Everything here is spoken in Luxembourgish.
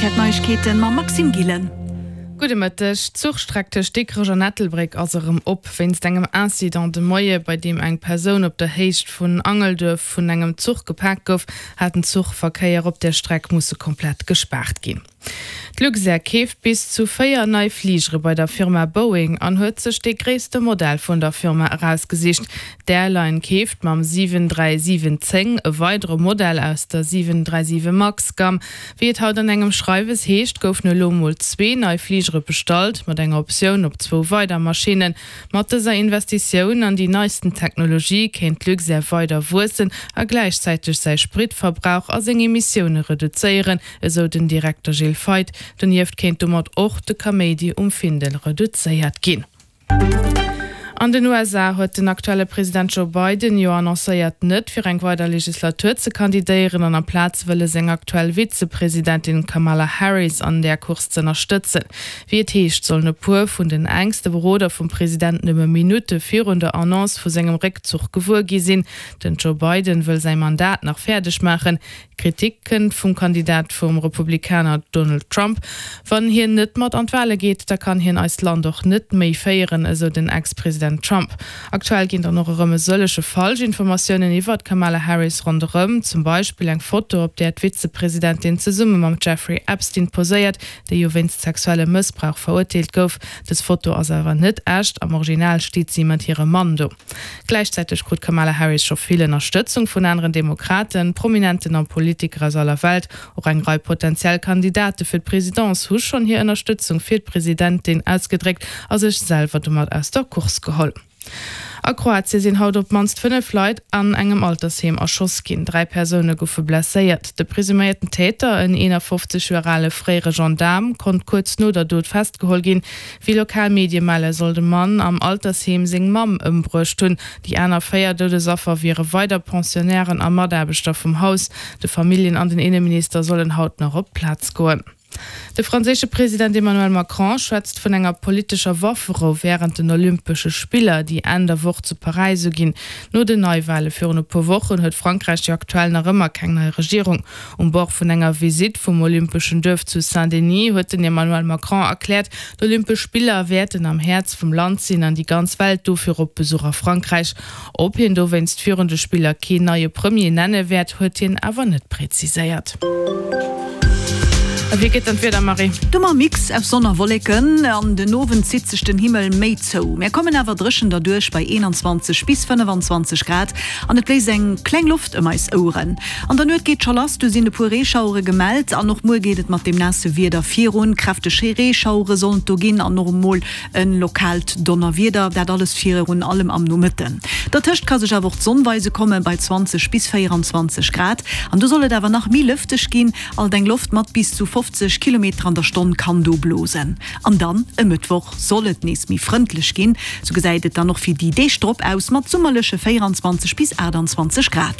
Rtl Neiegkeeten mam Maxime Gillen. Gudde Mëtteg. D'Zuchstreck tëscht Dikrech an Ettelbréck ass erëm op. Wéinst engem Incident de Moie, bei deem eng Persoun op der Héicht vun Angelduerf vun engem Zuch gepaakt gouf, hat den Zuchverkéier op där Streck musse komplett gespaart ginn. D'Luxair keeft bis zu 4 nei Fligere bei der Firma Boeing an huet sech dee gréisste Modell vun der Firma erausgesicht. D'Airline keeft mam 737-10 e weidere Modell aus der 737 Max Gamm. Wéi et haut an engem Schreiwes heescht, goufen elo mol zwee nei Fligere bestallt, mat enger Optioun op zwou weider Maschinnen. Mat dëser Investitioun an déi neisten Technologie kéint d'Luxair weider wuessen a gläichzäiteg säi Spritverbrauch a seng Emissioune reduzéieren, esou den Direkter Gilles Feith. Donieft kéint domat och de Kaméidi um Findel reduzéiert ginn. An den USA huet den aktuelle President Joe Biden jo annoncéiert, net fir eng weider Legislatur ze kandidéieren an amplaz wëlle seng aktuell Vizepresidentin Kamala Harris an där Course z'ënnerstëtzen. Wéi et heescht, sollen e puer vun den enkste Beroder vum President nëmme Minutte virun der Annonce vu sengem Réckzuch gewuer gi sinn. Den Joe Biden wëll säi Mandat nach fäerdeg maachen. Kritik kënnt vum Kandidat vum Republikaner Donald Trump. Wann hien net mat an d'Wale geet, da kann hien eist Land och net méi féieren, esou den Ex-President Trump. Aktuell ginn dann och erëm e sëllege Falschinformatiounen iwwer d'Kamala Harris ronderëm, zum Beispill eng Foto, op där d'Vizepresidentin zesumme mam Jeffrey Epstein poséiert, dee jo wéinst sexuellem Mëssbrauch verurteelt gouf. Dës Foto ass awer net echt, am Original steet si mat hirem Mann do. Gläichzäiteg krut d'Kamala Harris scho vill Ënnerstëtzung vun aneren Demokraten, Prominenten a Politiker aus aller Welt. Och eng Rei potentiell Kandidate fir d'Presidence hu schonn hir Ënnerstëtzung fir d'Presidentin ausgedréckt a sech selwer domat aus der Course geholl. A Kroatie sinn haut op d'mannst 5 Leit an engem Altersheem erschoss ginn. 3 Persoune goufe blesséiert. De presuméierten Täter, en 51 Joer ale fréiere Gendaarm, konnt kuerz no der Dot festgeholl ginn. Wéi lokal Medie melle soll de Mann am Altersheem seng Mamm ëmbruecht hunn. Déi aner 4 Doudesaffer wiere weider Pensionnairen a Mataarbechter vum Haus. De Familljen an den Inneminister sollen haut nach op d'Plaz goen. De franséische President Emmanuel Macron schwätzt vun enger politescher Wafferou wärend den Olympesche Spiller, déi Enn der Woch zu Paräis uginn. No den Neiwale virun e puer Wochen huet Frankräich jo aktuell nach ëmmer keng nei Regierung. Um Bord vun enger Visitt vum Olympeschen Duerf zu Saint-Denis huet den Emmanuel Macron erkläert, d'Olympesch Spiller wäerten am Häerz vum Land sinn an déi ganz Welt dofir op Besuch a Frankräich. Ob hien dowéinst virun de Spiller keen neie Premier nenne wäert, huet hien awer net präziséiert. A wéi gëtt dann d'Wieder, Marie? Dummer Mix aus Sonn a Wolleken, an den Owend zitt sech den Himmel méi zou. Mär kommen awer dréchen derduerch bei 21 bis 25 Grad an et bléist eng kleng Loft ëm eis Oueren. An der Nuet geet scho lass, du sinn e puer Reeschauere gemellt an och muer geet et mat deem naasse Wieder virun. Kräfteg Reeschauere sollen et do ginn an och emol e lokaalt Donnerwieder, dat alles virun allem am Nomëtten. Dertëscht ka sech awer och d'Sonn weise komme bei 20 bis 24 Grad an do soll et awer nach méi lëfteg ginn, alt eng Loft mat bis zu 50 Kilometer an der Stonn kann do blosen. An dann e Mëttwoch soll et nees méi frëndlech ginn, sou gesäit et dann och fir déi Deeg drop aus mat summerleche 24 bis 28 Grad.